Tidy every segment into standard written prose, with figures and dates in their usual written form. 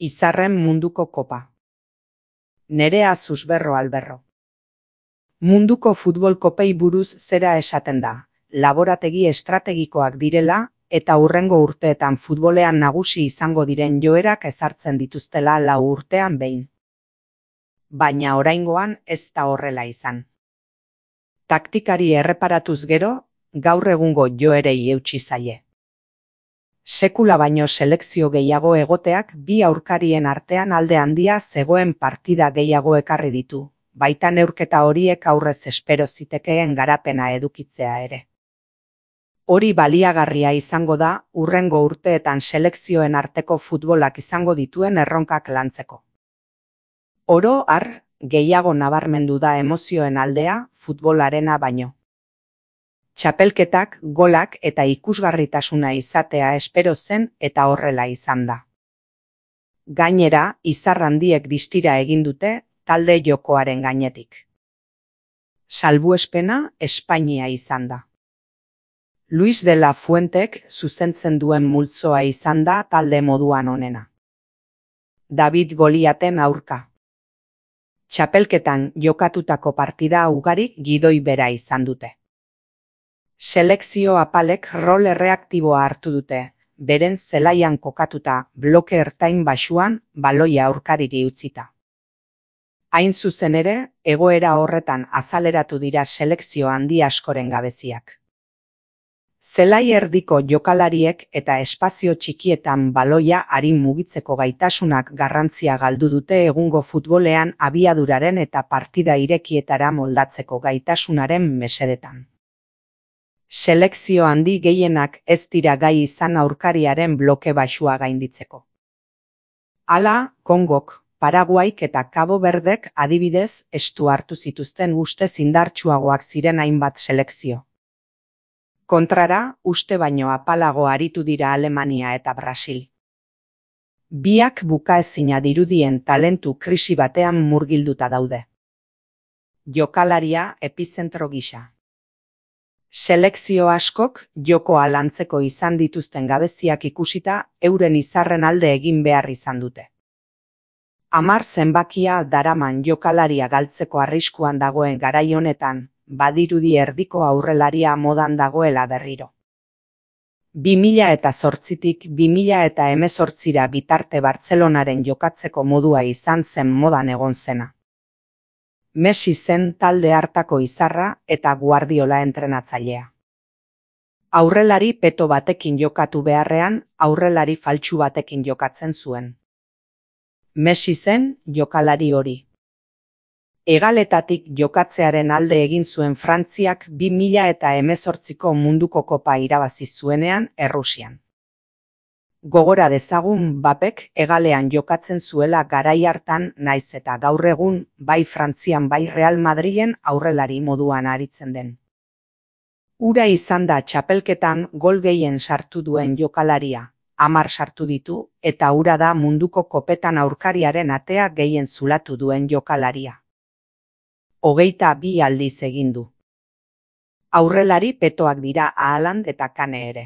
Izarren munduko kopa. Nerea Susberro Alberro. Munduko futbol kopei buruz zera esaten da, laborategi estrategikoak direla eta hurrengo urteetan futbolean nagusi izango diren joerak ezartzen dituztela 4 urtean behin. Baina oraingoan ez da horrela izan. Taktikari erreparatuz gero, gaur egungo joerei eutsi zaie. Sekula baino selekzio gehiago egoteak bi aurkarien artean alde handia zegoen partida gehiago ekarri ditu, baita neurketa horiek aurrez espero zitekeen garapena edukitzea ere. Hori baliagarria izango da hurrengo urteetan selekzioen arteko futbolak izango dituen erronkak lantzeko. Oro har, gehiago nabarmendu da emozioen aldea futbolarena baino. Txapelketak, golak eta ikusgarritasuna izatea espero zen eta horrela izan da. Gainera, izar handiek distira egin dute talde jokoaren gainetik. Salbuespena Espainia izan da. Luis de la Fuentek zuzentzen duen multzoa izan da talde moduan onena. David Goliaten aurka. Txapelketan jokatutako partida ugarik gidoi bera izan dute. Selekzio apalek rol erreaktiboa hartu dute, beren zelaian kokatuta bloke ertain baxuan baloia aurkariri utzita. Hain zuzen ere, egoera horretan azaleratu dira selekzio handi askoren gabeziak. Zelai erdiko jokalariek eta espazio txikietan baloia arin mugitzeko gaitasunak garrantzia galdu dute egungo futbolean abiaduraren eta partida irekietara moldatzeko gaitasunaren mesedetan. Selekzio handi gehienak ez dira gai izan aurkariaren bloke baxua gainditzeko. Hala, Kongok, Paraguaik eta Cabo Verdek adibidez estu hartu zituzten ustez indartsuagoak ziren hainbat selekzio. Kontrara, uste baino apalago aritu dira Alemania eta Brasil. Biak bukaezina dirudien talentu krisi batean murgilduta daude. Jokalaria epizentro gisa. Selekzio askok jokoa lantzeko izan dituzten gabeziak ikusita euren izarren alde egin behar izan dute. 10 zenbakia daraman jokalaria galtzeko arriskuan dagoen garai honetan, badirudi erdiko aurrelaria modan dagoela berriro. 2008tik 2018ra bitarte Bartzelonaren jokatzeko modua izan zen modan egon zena. Messi zen talde hartako izarra eta Guardiola entrenatzailea. Aurrelari peto batekin jokatu beharrean, aurrelari faltsu batekin jokatzen zuen. Messi zen jokalari hori. Hegaletatik jokatzearen alde egin zuen Frantziak 2018ko munduko kopa irabazi zuenean Errusian. Gogora dezagun Mbappek hegalean jokatzen zuela garai hartan naiz eta gaur egun bai Frantzian bai Real Madrilen aurrelari moduan aritzen den. Hura izan da txapelketan gol gehien sartu duen jokalaria, 10 sartu ditu eta hura da munduko kopetan aurkariaren atea gehien zulatu duen jokalaria. 22 aldiz egin du. Aurrelari petoak dira Haaland eta Kane ere.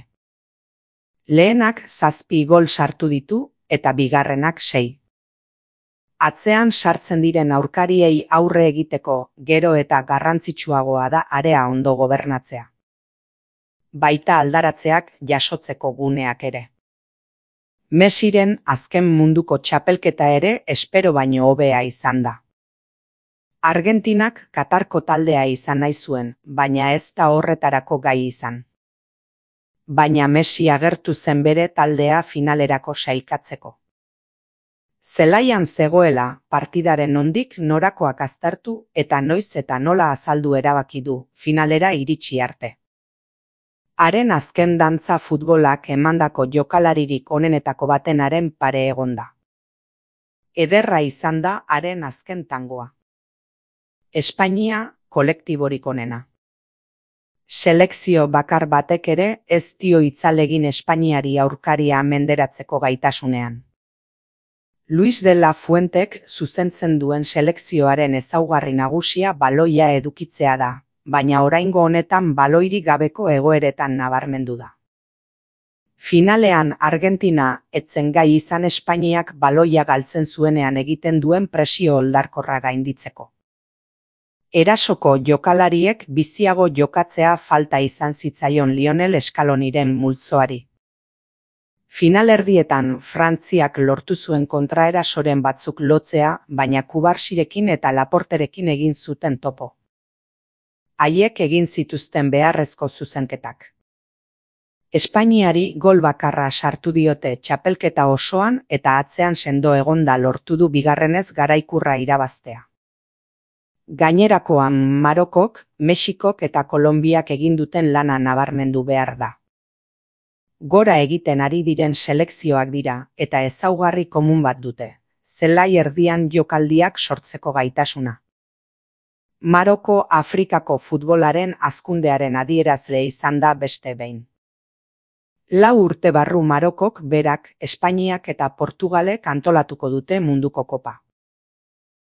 Lehenak 7 gol sartu ditu eta bigarrenak 6. Atzean sartzen diren aurkariei aurre egiteko gero eta garrantzitsuagoa da area ondo gobernatzea. Baita aldaratzeak jasotzeko guneak ere. Messiren azken munduko txapelketa ere espero baino hobea izan da. Argentinak Katarko taldea izan nahi zuen, baina ez da horretarako gai izan. Baina Messi agertu zen bere taldea finalerako sailkatzeko. Zelaian zegoela partidaren nondik norakoak aztertu eta noiz eta nola azaldu erabaki du finalera iritsi arte. Haren azken dantza futbolak emandako jokalaririk onenetako batenaren pare egonda. Ederra izan da haren azken tangoa. Espainia kolektiborik onena. Selekzio bakar batek ere ez dio itzalegin Espainiari aurkaria menderatzeko gaitasunean. Luis de la Fuentek zuzentzen duen selekzioaren ezaugarri nagusia baloia edukitzea da, baina oraingo honetan baloirik gabeko egoeretan nabarmendu da. Finalean Argentina etzen gai izan Espainiak baloia galtzen zuenean egiten duen presio oldarkorra gainditzeko. Erasoko jokalariek biziago jokatzea falta izan zitzaion Lionel Scaloniren multzoari. Finalerdietan Frantziak lortu zuen kontraerasoren batzuk lotzea, baina Kubarsirekin eta Laporterekin egin zuten topo. Haiek egin zituzten beharrezko zuzenketak. Espainiari gol bakarra sartu diote txapelketa osoan eta atzean sendo egonda lortu du bigarrenez garaikurra irabaztea. Gainerakoan Marokok, Mexikok eta Kolonbiak egin duten lana nabarmendu behar da. Gora egiten ari diren selekzioak dira eta ezaugarri komun bat dute, zelai erdian jokaldiak sortzeko gaitasuna. Maroko Afrikako futbolaren hazkundearen adierazle izan da beste behin. 4 urte barru Marokok berak, Espainiak eta Portugalek antolatuko dute munduko kopa.